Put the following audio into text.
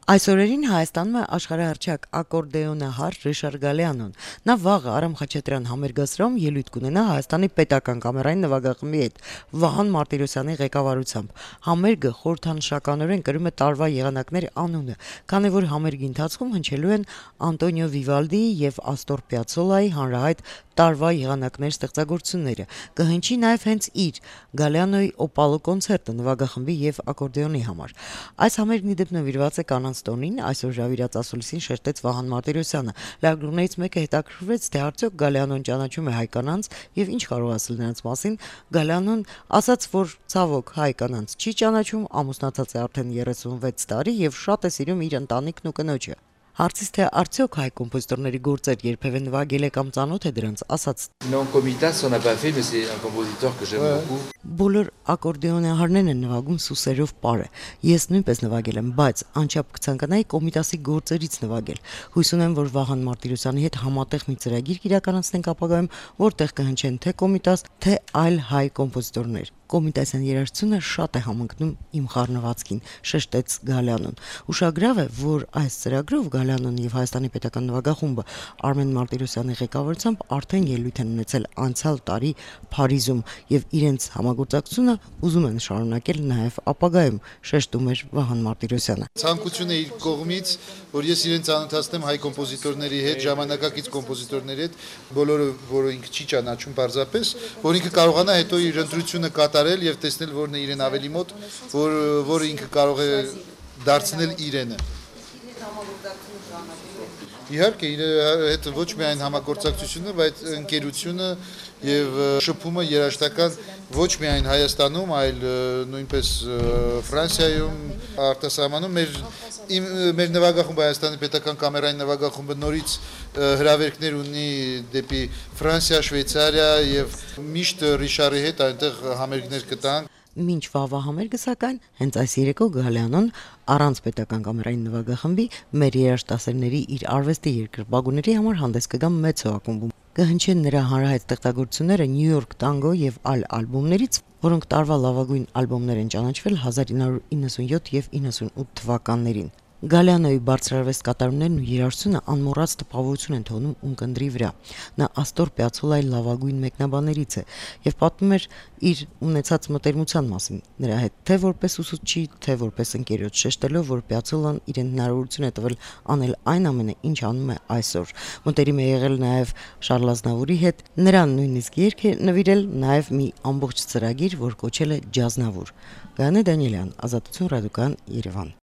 Այսօրերին Հայաստանում է աշխարհահռչակ ակորդեոնահար Ռիշար Գալեանոն։ Նա վաղը Արամ Խաչատրյան համերգասրահում ելույթ կունենա Հայաստանի պետական կամերային նվագախմբի հետ Վահան Մարտիրոսյանի ղեկավարությամբ։ Համերգը խորհրդանշականորեն կրում է տարվա եղանակների անունը, քանի որ համերգի ընթացքում հնչելու են Անտոնիո Վիվալդիի եւ Աստոր Պիացոլայի հանրահայտ տարվա եղանակներ ստեղծագործությունները։ Կհնչի նաև հենց իր Գալեանոյի Օպալո կոնցերտը նվագախմբի եւ ակորդեոնի համար։ Այս համերգն ի դեպ նվիրված է կանանց տոնին, այսօր ժավիրած ասուլիսին շերտեց Վահան Մարտիրոսյանը։ Լրագրողներից մեկը հետաքրքրվեց, թե արդյոք Գալեանոն ճանաչում է հայ կանանց եւ ինչ կարող ասել նրանց մասին։ Գալեանոն ասաց, որ ցավոք հայ կանանց չի ճանաչում, ամուսնացած է արդեն 36 տարի եւ շատ է սիրում իր ընտանիքն ու կնոջը։ Հարցից թե արդյոք հայ կոմպոզիտորների գործեր երբևէ նվագել է կամ ծանոթ է դրանց, ասաց. Բոլոր ակորդեոնահարներն են նվագում սուսերով պարը։ Ես նույնպես նվագել եմ, բայց անչափ կցանկանայի Կոմիտասի գործերից նվագել։ Հույս ունեմ, որ Վահան Մարտիրոսյանի հետ համատեղ մի ծրագիր կիրականացնենք ապագայում, որտեղ կհնչեն թե Կոմիտաս, թե այլ հայ կոմպոզիտորներ։ Կոմիտասյան երաժշտությունը շատ է համընկնում իմ խառնվածքին, շեշտեց Գալեանոն։ Ուշագրավ է, որ այս ծրագրով Գալեանոն եւ Հայաստանի պետական նվագախումբը Արմեն Մարտիրոսյանի ղեկավարությամբ արդեն ելույթ են ունեցել անցյալ տարի Փարիզում եւ իրենց համագործակցությունը ուզում են շարունակել նաեւ ապագայում, շեշտում էր Վահան Մարտիրոսյանը։ Ցանկություն է իր կողմից, որ ես իրեն ծանոթացնեմ հայ կոմպոզիտորների հետ, ժամանակակից կոմպոզիտորների հետ, բոլորը, որ ինքը չի ճանաչում պարզապես, որ ինքը կարողանա հետո իր ընտրությունը կատարել եւ տեսնել, որն է իրեն ավելի մոտ, որը ինքը կարող է դարձնել իրենը։ Իհարկե, իր հետ ոչ միայն համագործակցությունը, բայց ընկերությունը եւ շփումը երաժշտական ոչ միայն Հայաստանում, այլ նույնպես Ֆրանսիայում, արտասահմանում մեր նվագախումբը Հայաստանի պետական կամերային նվագախումբը նորից հրավերքներ ունի դեպի Ֆրանսիա, Շվեյցարիա եւ միշտ Ռիշարի հետ այնտեղ համերգներ կտանք։ Մինչ վաղվա համերգը, սակայն, հենց այս երեկո Գալեանոն առանց պետական կամերային նվագախմբի մեր երաժշտասերների իր արվեստի երկրպագուների համար հանդես կգա մեծ ակումբում։ Կհնչեն նրա հանրահայտ ստեղծագործությունները Նյու Յորք տանգո եւ այլ ալբոմներից, որոնք տարվա լավագույն ալբոմներ են ճանաչվել 1997 եւ 98 թվականներին։ Գալեանոյի բարձրարվեստ կատարումներն ու երաժշտությունը անմոռաց տպավորություն են թողնում ունկնդրի վրա։ Նա Աստոր Պիացոլայի լավագույն մեկնաբաններից է եւ պատմում էր իր ունեցած մտերմության մասին նրա հետ, թե որպես ուսուցչի, թե որպես ընկերոջ, շեշտելով, որ Պիացոլան իրեն հնարավորություն է տվել անել այն ամենը, ինչ անում է այսօր։ Մտերիմ է եղել նաեւ Շարլ Ազնավուրի հետ, նրան նույնիսկ երգ է նվիրել, նաեւ մի ամբողջ ծրագիր, որ կոչել է Ջազնավուր։ Գայանե Դանիելյան, Ազատություն ռադիոկայան, Երևան։